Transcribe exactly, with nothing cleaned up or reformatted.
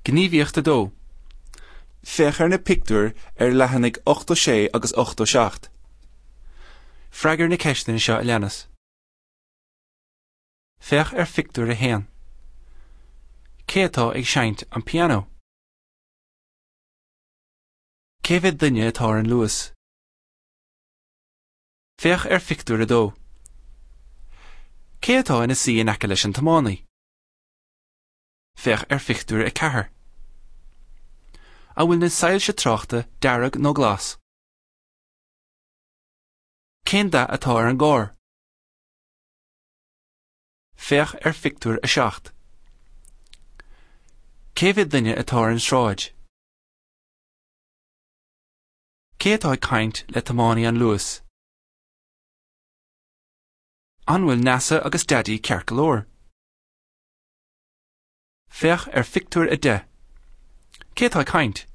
Gníomhaíocht a dó. Féach ar na pictiúir ar leathanaigh ochtó sé agus ochtó seacht. Freagair na ceisteanna seo a leanas. Féach ar phictiúr a haon. Cé atá ag seinnt an pianó? Cé mhéad duine atá ar an Luas? Féach ar phictiúr a dó. Cé atá ina suí in aice leis an tiománaí? Féach ar phictiúr a ceathair. An bhfuil na soilse tráchta dearg nó glas? Cén dath atá ar an gcarr? Féach ar phictiúr a seacht. Cé mhéad duine atá ar an sráid? Cé atá ag caint le tiománaí an Luas? An bhfuil Neasa agus Daidí ceart go leor? Féach ar phictiúr a deich. Cé atá ag caint?